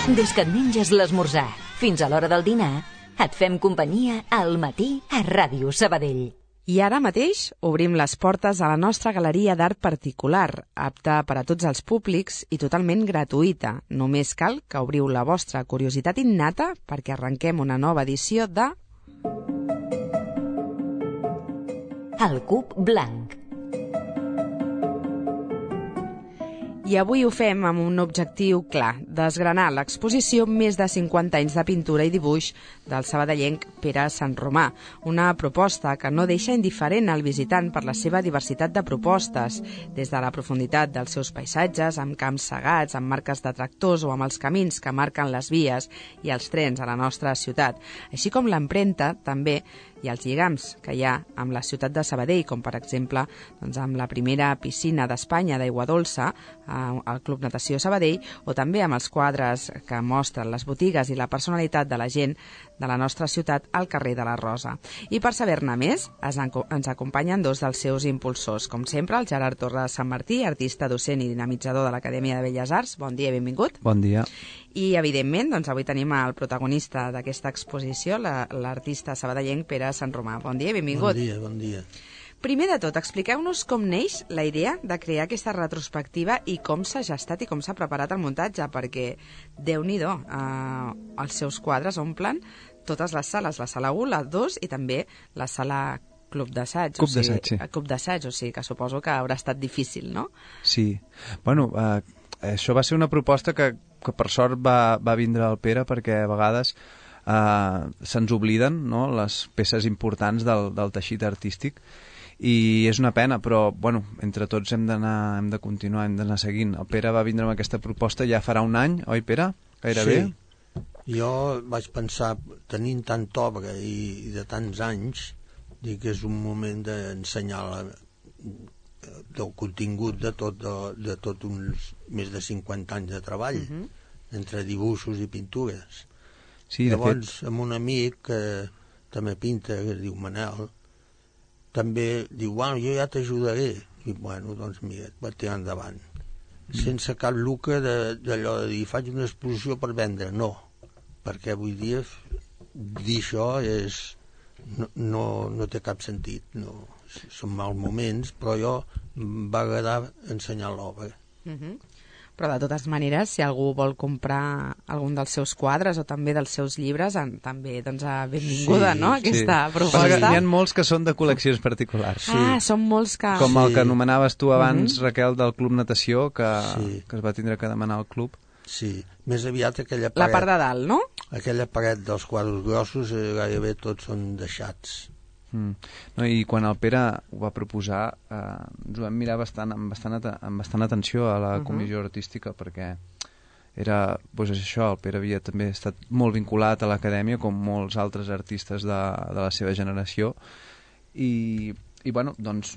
Des que et menges l'esmorzar fins a l'hora del dinar, et fem companyia al matí a Ràdio Sabadell. I ara mateix obrim les portes a la nostra galeria d'art particular, apta per a tots els públics i totalment gratuïta. Només cal que obriu la vostra curiositat innata perquè arrenquem una nova edició de... El Cub Blanc. I avui ho fem amb un objectiu clar, desgranar l'exposició Més de 50 anys de pintura i dibuix del sabadellenc Pere Sanromà, una proposta que no deixa indiferent al visitant per la seva diversitat de propostes, des de la profunditat dels seus paisatges, amb camps segats, amb marques de tractors o amb els camins que marquen les vies i els trens a la nostra ciutat, així com l'empremta també i els lligams que hi ha amb la ciutat de Sabadell, com per exemple amb la primera piscina d'Espanya d'aigua dolça al Club Natació Sabadell, o també amb els quadres que mostren les botigues i la personalitat de la gent de la nostra ciutat al carrer de la Rosa. I per saber-ne més, ens acompanyen dos dels seus impulsors. Com sempre, el Gerard Torres Sant Martí, artista, docent i dinamitzador de l'Acadèmia de Belles Arts. Bon dia i benvingut. Bon dia. I, evidentment, avui tenim el protagonista d'aquesta exposició, l'artista sabadellenc Pere Sanromà. Bon dia i benvingut. Bon dia, bon dia. Primer de tot, expliqueu-nos com neix la idea de crear aquesta retrospectiva i com s'ha gestat i com s'ha preparat el muntatge, perquè, Déu-n'hi-do, els seus quadres omplen totes les sales, la sala 1, la 2 i també la sala Club d'Assaig. Club d'Assaig, sí. Club d'Assaig, o sigui que suposo que haurà estat difícil, no? Sí. Bueno, això va ser una proposta que per sort va vindre al Pere, perquè a vegades se'ns obliden, no?, les peces importants del teixit artístic, i és una pena, però bueno, entre tots hem de continuar, hem d'anar seguint. El Pere va vindre amb aquesta proposta ja farà un any, oi Pere? Gairebé? Sí, jo vaig pensar, tenint tanta obra i de tants anys, dic que és un moment d'ensenyar del contingut de tot uns més de 50 anys de treball, entre dibuixos i pintures. Sí, llavors, amb un amic que també pinta, que es diu Manel, també diu, bueno, jo ja t'ajudaré. I bueno, doncs mira, va tirar endavant. Sense cap lucre d'allò de dir, faig una exposició per vendre. No, perquè avui dia dir això no té cap sentit. No, són mals moments, però jo em va agradar ensenyar l'obra. Però de totes maneres, si algú vol comprar algun dels seus quadres o també dels seus llibres, també benvinguda, no?, aquesta proposta. N'hi ha molts que són de col·leccions particulars. Són molts que... Com el que anomenaves tu abans, Raquel, del Club Natació, que es va tindre que demanar al club. Sí, més aviat aquella paret... La part de dalt, no? Aquella paret dels quadres grossos gairebé tots són deixats. No, i quan el Pere ho va proposar ens ho vam mirar amb bastant atenció a la comissió artística, perquè era, doncs això, el Pere havia també estat molt vinculat a l'acadèmia com molts altres artistes de la seva generació i bueno, doncs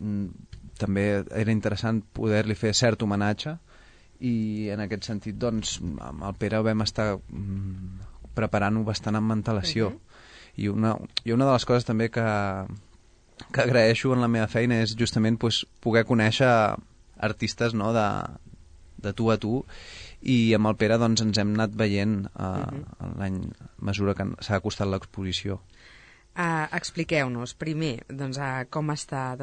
també era interessant poder-li fer cert homenatge, i en aquest sentit doncs amb el Pere vam estar preparant-ho bastant amb antelació. I una de les coses també que agraeixo en la meva feina és justament poder conèixer artistes, no?, de tu a tu, i amb el Pere doncs ens hem anat veient l'any a mesura que s'ha acostat l'exposició. Expliqueu-nos primer com està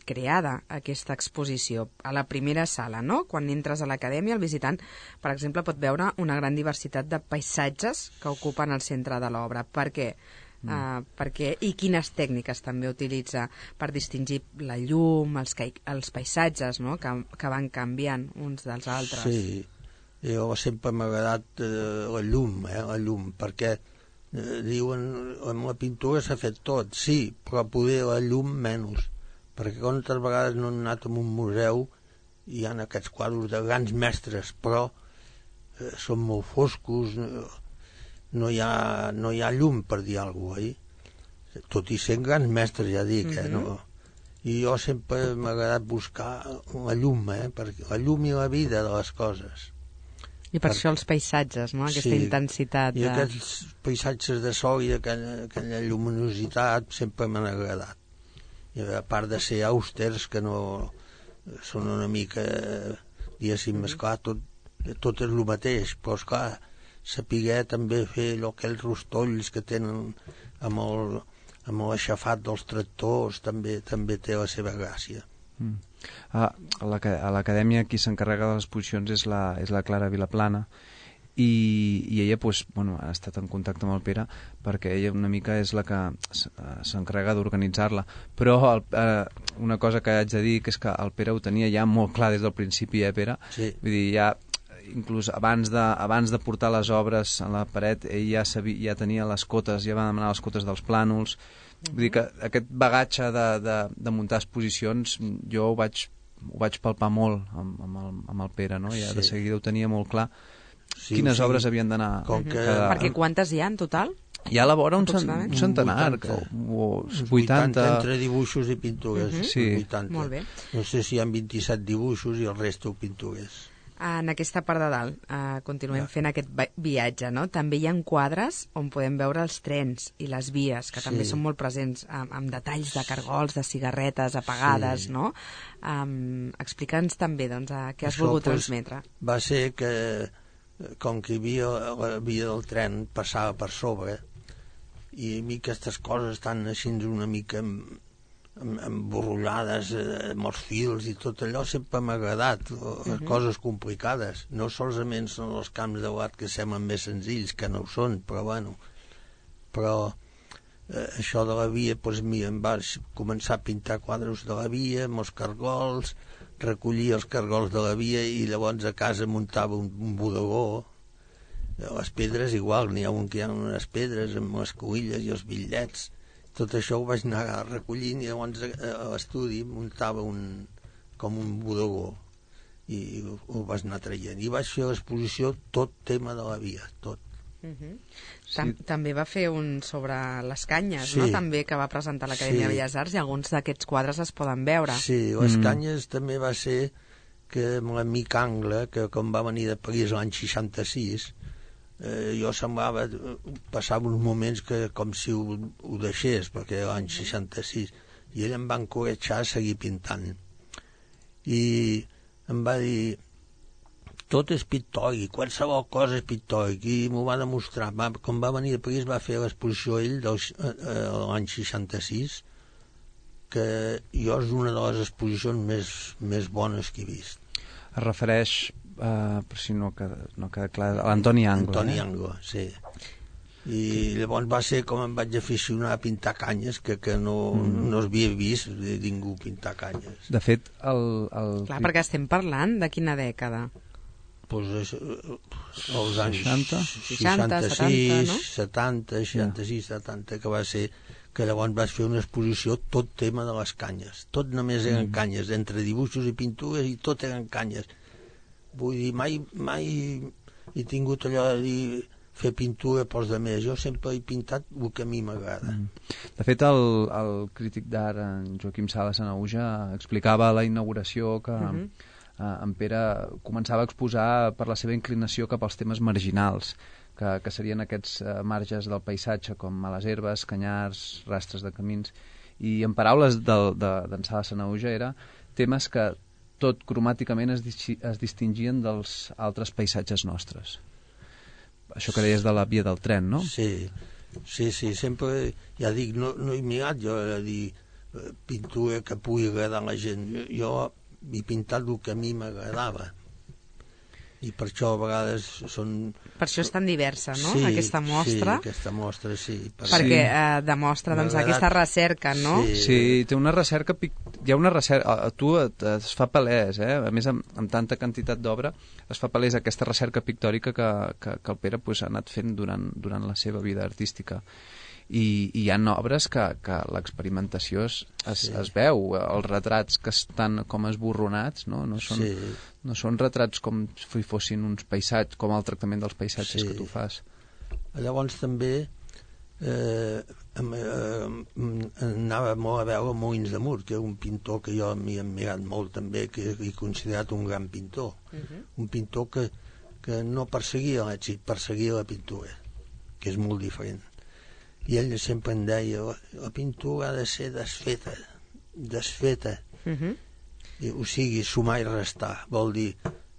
creada aquesta exposició. A la primera sala, no?, quan entres a l'acadèmia, el visitant, per exemple, pot veure una gran diversitat de paisatges que ocupen el centre de l'obra. Per què? I quines tècniques també utilitza per distingir la llum, els paisatges, no?, que van canviant uns dels altres. Sí, jo sempre m'ha agradat la llum, perquè diuen, amb la pintura s'ha fet tot, sí, però poder la llum menys, perquè quantes vegades no han anat a un museu i hi ha aquests quadres de grans mestres, però són molt foscos, no hi ha llum, per dir alguna cosa, tot i sent grans mestres, ja dic, no? I jo sempre m'ha agradat buscar la llum, perquè la llum i la vida de les coses. I per això els paisatges, no?, aquesta intensitat. I aquests paisatges de sol i aquella lluminositat sempre m'han agradat. I a part de ser austers, que no són una mica, diguéssim, esclar, tot és el mateix, però esclar, saber també fer aquells rostolls que tenen amb l'aixafat dels tractors, també té la seva gràcia. A l'acadèmia qui s'encarrega de les exposicions és la Clara Vilaplana, i ella ha estat en contacte amb el Pere perquè ella una mica és la que s'encarrega d'organitzar-la, però una cosa que haig de dir que és que el Pere ho tenia ja molt clar des del principi, Pere? Sí. Vull dir, ja inclús abans de portar les obres a la paret ell ja tenia les cotes, ja va demanar les cotes dels plànols. Vull dir que aquest bagatge de muntar exposicions jo ho vaig palpar molt amb el Pere, no? Ja de seguida ho tenia molt clar. Quines obres havien d'anar... Perquè quantes hi ha en total? Hi ha a la vora un centenar, 80... Entre dibuixos i pintures. Sí. 80. Molt bé. No sé si hi ha 27 dibuixos i el resto pintures. En aquesta part de dalt continuem fent aquest viatge, no? També hi ha quadres on podem veure els trens i les vies, que també són molt presents, amb detalls de cargols, de cigarretes apagades, no? Explica'ns també, doncs, què has volgut transmetre. Va ser que, com que la via del tren passava per sobre, i a mi aquestes coses estan així una mica emborrollades amb els fils i tot allò sempre m'ha agradat, les coses complicades, no solament són els camps de l'art que semblen més senzills, que no ho són, però bueno, això de la via, doncs em vaig començar a pintar quadres de la via amb els cargols, recollir els cargols de la via i llavors a casa muntava un bodegó. Les pedres igual, n'hi ha un que hi ha unes pedres amb les colilles i els bitllets. Tot això ho vaig anar recollint i llavors a l'estudi muntava com un bodegó i ho vaig anar traient. I vaig fer l'exposició tot tema de la via, tot. També va fer un sobre les canyes, no? També, que va presentar a l'Acadèmia de Belles Arts, i alguns d'aquests quadres es poden veure. Sí, les canyes també va ser que amb l'amic Angle, que com va venir de París l'any 66, jo semblava, passava uns moments que com si ho deixés, perquè era l'any 66, i ell em va encoratjar a seguir pintant. I em va dir, tot és pictòric, qualsevol cosa és pictòric, i m'ho va demostrar. Com va venir a París va fer l'exposició ell l'any 66, que jo és una de les exposicions més bones que he vist. Es refereix, per si no queda clar, a l'Antoni Angle. Antoni Angle, sí. I llavors va ser com em vaig aficionar a pintar canyes, que no havia vist ningú pintar canyes. De fet, Clar, perquè estem parlant de quina dècada? Doncs els anys 60, 70, 66, 70, que va ser que llavors vaig fer una exposició tot tema de les canyes. Tot només eren canyes, entre dibuixos i pintures, i tot eren canyes. Vull dir, mai he tingut allò de dir fer pintura pels altres. Jo sempre he pintat el que a mi m'agrada. De fet, el crític d'art, en Joaquim Sala Sanahuja, explicava a la inauguració que en Pere començava a exposar per la seva inclinació cap als temes marginals, que serien aquests marges del paisatge, com males herbes, canyars, rastres de camins, i en paraules d'en Sala Sanahuja era temes que tot cromàticament es distingien dels altres paisatges nostres. Això que deies de la via del tren, no? Sí, sempre, ja dic, no he mirat jo a dir pintura que pugui agradar a la gent. Jo he pintat el que a mi m'agradava. I per això a vegades són... Per això és tan diversa, no?, aquesta mostra. Sí, aquesta mostra, sí. Perquè demostra, doncs, aquesta recerca, no? Sí, té una recerca... Hi ha una recerca... A tu es fa palès, a més, amb tanta quantitat d'obra, es fa palès aquesta recerca pictòrica que el Pere ha anat fent durant la seva vida artística. I hi ha obres que l'experimentació es veu, els retrats que estan com esborronats, no són retrats com si fossin uns paisatges, com el tractament dels paisatges que tu fas. Llavors també anava molt a veure Molins de Mur, que és un pintor que jo m'hi he admirat molt també, que he considerat un gran pintor, un pintor que no perseguia l'èxit, perseguia la pintura, que és molt diferent. I ell sempre em deia, la pintura ha de ser desfeta. O sigui, sumar i restar. Vol dir,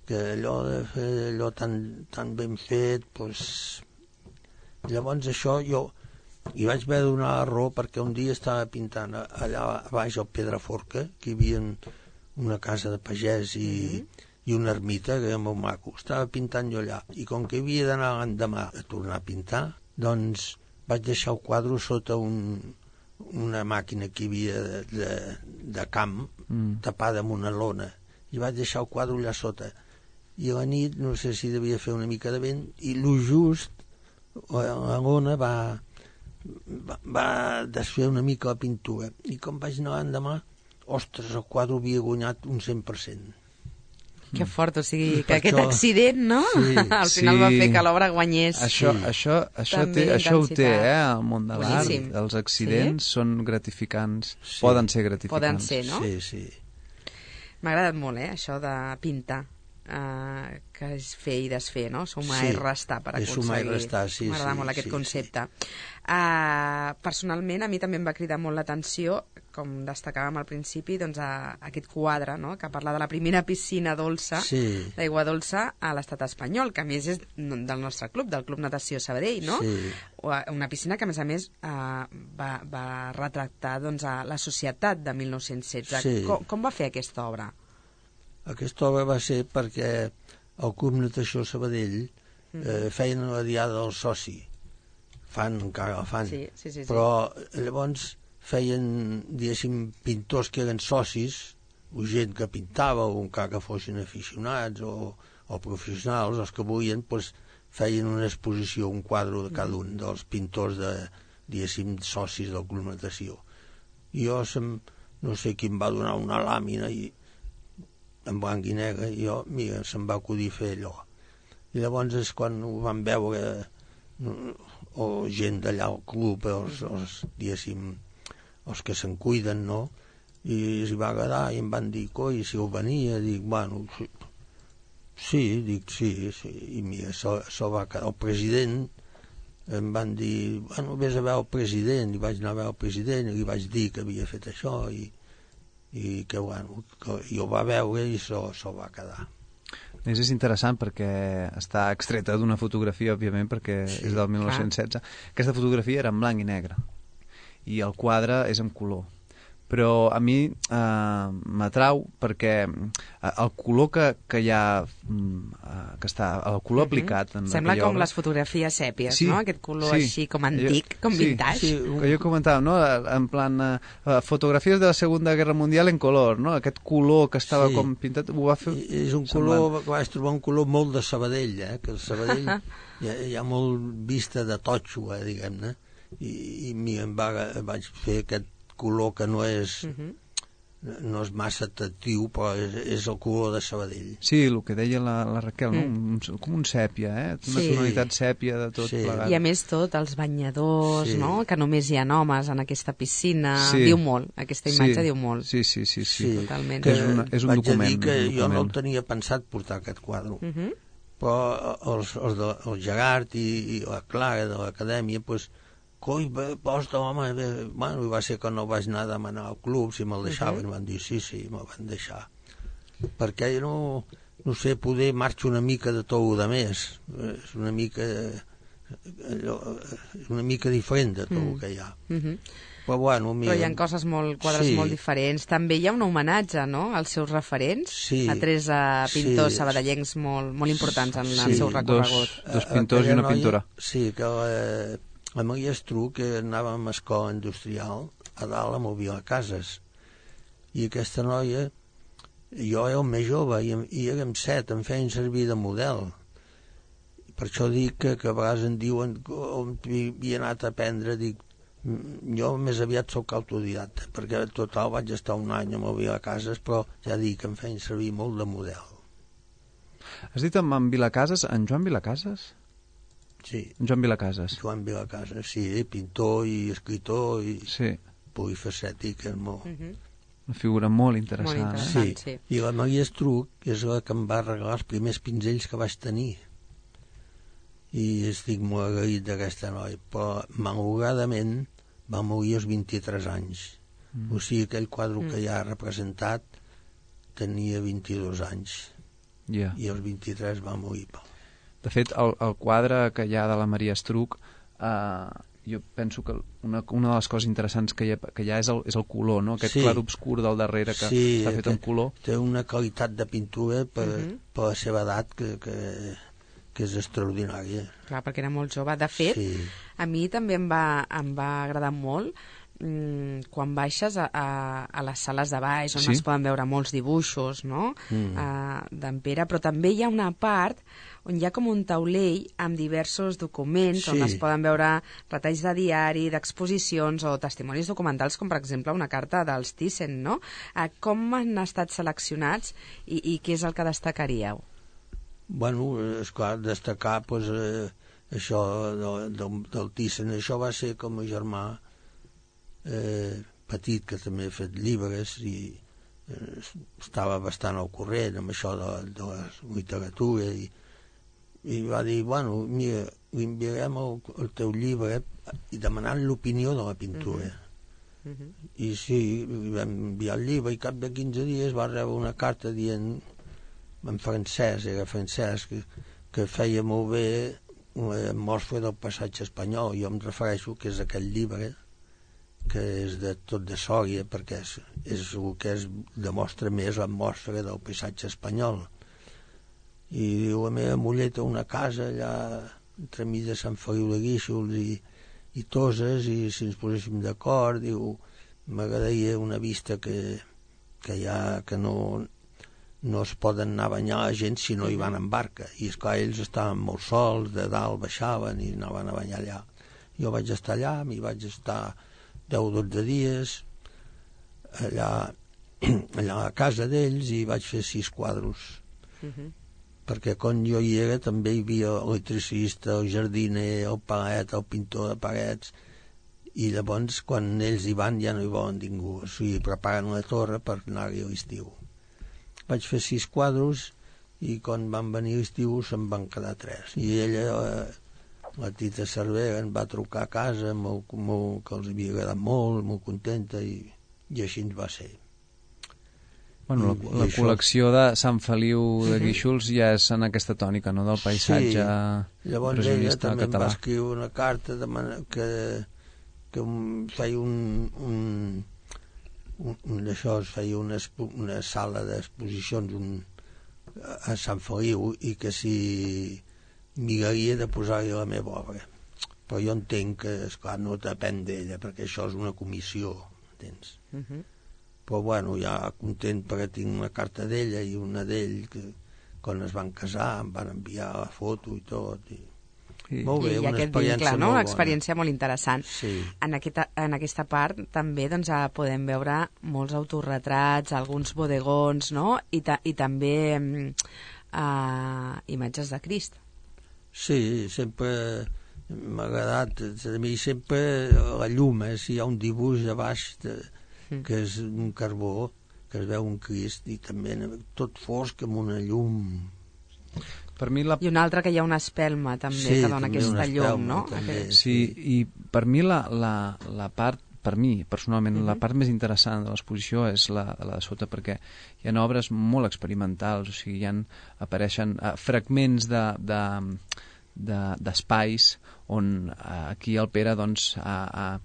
que allò de fer allò tan ben fet, doncs... Llavors això jo hi vaig haver de donar la raó perquè un dia estava pintant allà a baix al Pedraforca, que hi havia una casa de pagès i una ermita, que era molt maco. Estava pintant jo allà, i com que havia d'anar l'endemà a tornar a pintar, doncs vaig deixar el quadre sota una màquina que hi havia de camp, tapada amb una lona, i vaig deixar el quadre allà sota. I a la nit, no sé si devia fer una mica de vent, i lo just la lona va desfer una mica la pintura, i com vaig anar l'endemà, ostres, el quadre havia guanyat un 100%. Que fort, o sigui, que aquest accident, no? Sí, al final va fer que l'obra guanyés. Això ho té, el món de l'art. Els accidents són gratificants, poden ser gratificants. Poden ser, no? Sí. M'ha agradat molt, això de pintar, que és fer i desfer, no? Sumar i restar per aconseguir. Sumar i restar, sí. M'agrada molt aquest concepte. Personalment, a mi també em va cridar molt l'atenció, com destacàvem al principi, doncs aquest quadre, no?, que parla de la primera piscina dolça, d'aigua dolça a l'estat espanyol, que a més és del nostre club, del Club Natació Sabadell, no? Sí. Una piscina que, a més, va retractar doncs, a la societat de 1916. Sí. Com va fer aquesta obra? Aquesta obra va ser perquè el Club Natació Sabadell feien la diada del soci. Encara la fan. Sí. Però llavors feien, diguéssim, pintors que eren socis, o gent que pintava, o encara que fossin aficionats o professionals, els que volien, doncs, feien una exposició, un quadre de cada un dels pintors diguéssim, socis del Club Natació. I jo, no sé qui em va donar una làmina en blanc i negre, i jo, mira, se'm va acudir fer allò. I llavors és quan ho van veure o gent d'allà al club, diguéssim, els que se'n cuiden, no? I els va agradar i em van dir, coi, si ho venia, dic, bueno, sí, i mira, això va quedar. El president em van dir, bueno, vés a veure el president, i vaig anar a veure el president, i li vaig dir que havia fet això, i que, bueno, i ho va veure i això va quedar. És interessant perquè està extreta d'una fotografia, òbviament, perquè és del 1916. Aquesta fotografia era en blanc i negre i el quadre és en color, però a mi m'atrau perquè el color que hi ha que està, el color aplicat en sembla com obra, les fotografies sèpies, no? Aquest color així com antic, com vintage. Que jo comentava, no? En plan fotografies de la Segunda Guerra Mundial en color, no? Aquest color que estava com pintat, ho va fer... És un color, vaig trobar un color molt de Sabadell, que el Sabadell hi ha molt vista de totxo, diguem-ne, i vaig fer aquest color que no és massa atractiu, però és el color de Sabadell. Sí, el que deia la Raquel, no? Com un sèpia, una tonalitat sèpia de tot plegat. I a més tot, els banyadors, no? Que només hi ha homes en aquesta piscina, diu molt, aquesta imatge diu molt. Sí. Totalment. És un document. Vaig dir que jo no el tenia pensat portar aquest quadre, però el Gerard i la Clara de l'acadèmia, doncs, coi, posta, home, bueno, va ser que no vaig anar a demanar al club si me'l deixaven, van dir sí, me'l van deixar, perquè no sé, poder marxo una mica de tot el més, és una mica diferent de tot el que hi ha. Però bueno, però hi ha quadres molt diferents. També hi ha un homenatge, no?, als seus referents, a tres pintors sabadellencs molt importants en el seu recorregut. Dos pintors i una pintora. Sí, que la Maria Estruc, que anava a l'escola industrial a dalt amb el Vilacases, i aquesta noia, jo era el més jove i érem 7, em feien servir de model. Per això dic que a vegades em diuen on havia anat a aprendre, dic, jo més aviat soc autodidacta, perquè en total vaig estar un any amb el Vilacases, però ja dic que em feien servir molt de model. Has dit en Vilacases, en Joan Vilacases? Sí. Joan Vilacases. Joan Vilacases, sí, pintor i escritor i polifacètic, és molt... Una figura molt interessant. Sí. I la Maria Estruc, que és la que em va regalar els primers pinzells que vaig tenir. I estic molt agraït d'aquesta noia, però malauradament va morir als 23 anys. O sigui, aquell quadre que ja ha representat tenia 22 anys. i els 23 va morir. De fet, el quadre que hi ha de la Maria Estruch, jo penso que una de les coses interessants que hi ha és el color, no? Aquest clar obscur del darrere que està fet en color. Té una qualitat de pintura per la seva edat que és extraordinària. Clar, perquè era molt jove. De fet, a mi també em va agradar molt quan baixes a les sales de baix, on es poden veure molts dibuixos, no? D'en Pere, però també hi ha una part on hi ha com un taulell amb diversos documents on es poden veure retalls de diari, d'exposicions o testimonis documentals, com per exemple una carta dels Thyssen, no? Com han estat seleccionats i què és el que destacaríeu? Bueno, esclar, destacar això del Thyssen. Això va ser com a germà petit, que també ha fet llibres i estava bastant al corrent amb això de la literatura i va dir, bueno, mira, li enviarem el teu llibre i demanant l'opinió de la pintura. I sí, li vam enviar el llibre i cap de 15 dies va rebre una carta dient, en francès, era francès, que feia molt bé la mostra del passatge espanyol. Jo em refereixo que és aquell llibre que és de tot de Sòria, perquè és el que demostra més la mostra del paisatge espanyol. I diu, la meva muller té una casa allà entremig de Sant Feliu de Guíxols i Toses, i si ens poséssim d'acord, diu, m'agradaria una vista que hi ha, que no es poden anar a banyar la gent si no hi van en barca. I esclar, ells estaven molt sols, de dalt baixaven i anaven a banyar allà. Jo vaig estar allà, m'hi vaig estar 10 o 12 dies allà a la casa d'ells i vaig fer 6 quadros. Perquè quan jo hi era també hi havia l'electricista, el jardiner, el palet, el pintor de parets, i llavors quan ells hi van ja no hi volen ningú, o sigui, preparen la torre per anar-hi a l'estiu. Vaig fer 6 quadros i quan van venir a l'estiu se'n van quedar 3. I ella, la Tita Cervera, em va trucar a casa que els havia agradat molt contenta, i així ens va ser. Bueno, la col·lecció de Sant Feliu de Guíxols ja és en aquesta tònica, no?, del paisatge llavors ella també em va escriure una carta que feia feia una sala d'exposicions a Sant Feliu i que si miraria de posar-hi la meva obra. Però jo entenc que, esclar, no depèn d'ella, perquè això és una comissió, entens? Però bueno, ja content perquè tinc una carta d'ella i una d'ell que quan es van casar em van enviar la foto i tot. Molt bé, una experiència molt bona. Una experiència molt interessant. Sí. En aquesta part també doncs, podem veure molts autorretrats, alguns bodegons, no? I també imatges de Crist. Sí, sempre m'ha agradat. A mi sempre la llum, si hi ha un dibuix a baix que és un carbó, que es veu un Crist, i també tot fosc amb una llum. Per mi I una altra que hi ha una espelma també, que dona aquesta llum, no? Sí, i per mi la part, per mi personalment, la part més interessant de l'exposició és la de sota, perquè hi ha obres molt experimentals, o sigui, apareixen fragments d'espais on aquí el Pere doncs ha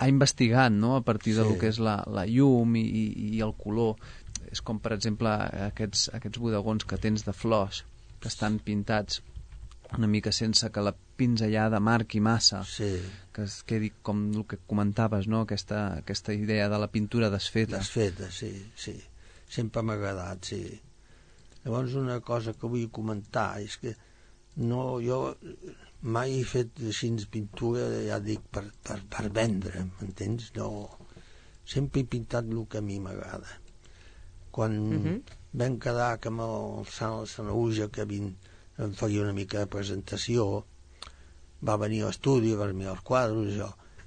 investigat, no?, a partir del que és la llum i el color. És com, per exemple, aquests bodegons que tens de flors, que estan pintats una mica sense que la pinzellada marqui massa, que es quedi com el que comentaves, no?, aquesta idea de la pintura desfeta. Desfeta, sí. Sempre m'ha agradat, sí. Llavors, una cosa que vull comentar és que jo mai he fet així pintura, ja dic, per vendre, m'entens? No, sempre he pintat el que a mi m'agrada. Quan vam quedar que amb el Sanaúja, que em faria una mica de presentació, va venir a l'estudi, va mirar els quadros,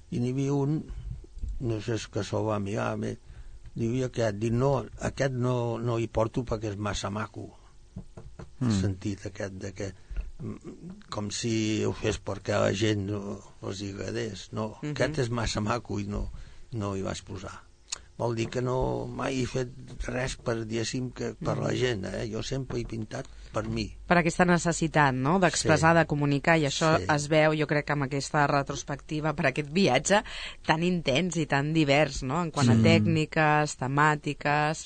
i n'hi havia un, no sé si se'l va mirar, diu aquest no hi porto perquè és massa maco. El sentit aquest de que com si ho fes perquè a la gent no els agradés. No, aquest és massa maco i no hi vaig posar. vol dir que no mai he fet res per, diguéssim, per la gent, jo sempre he pintat per mi. Per aquesta necessitat, no?, d'expressar, de comunicar, i això es veu, jo crec, amb aquesta retrospectiva, per aquest viatge tan intens i tan divers, no?, en quant a tècniques, temàtiques...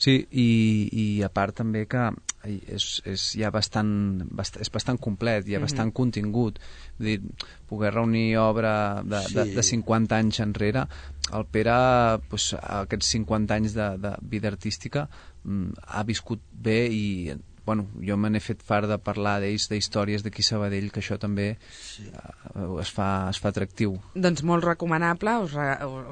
Sí, i a part també que és ja bastant complet, hi ha bastant contingut. Vull dir, poder reunir obra de 50 anys enrere, el Pere, aquests 50 anys de vida artística, ha viscut bé i bueno, jo me n'he fet fart de parlar d'ells, d'històries d'aquí Sabadell, que això també es fa atractiu. Doncs molt recomanable,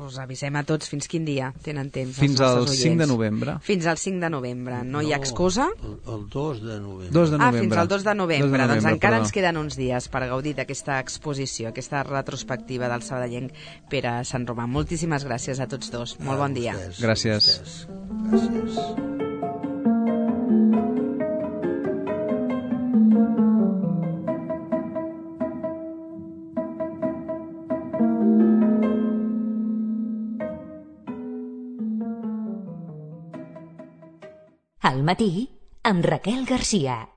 us avisem a tots. Fins quin dia tenen temps? Fins al 5 de novembre. Fins al 5 de novembre. No hi ha excusa? El 2 de novembre. 2 de novembre. Fins al 2 de novembre. Doncs encara ens queden uns dies per gaudir d'aquesta exposició, aquesta retrospectiva del sabadellenc Pere Sant Romà. Moltíssimes gràcies a tots dos. Molt bon dia. Gràcies. Gràcies. Al matí, amb Raquel Garcia.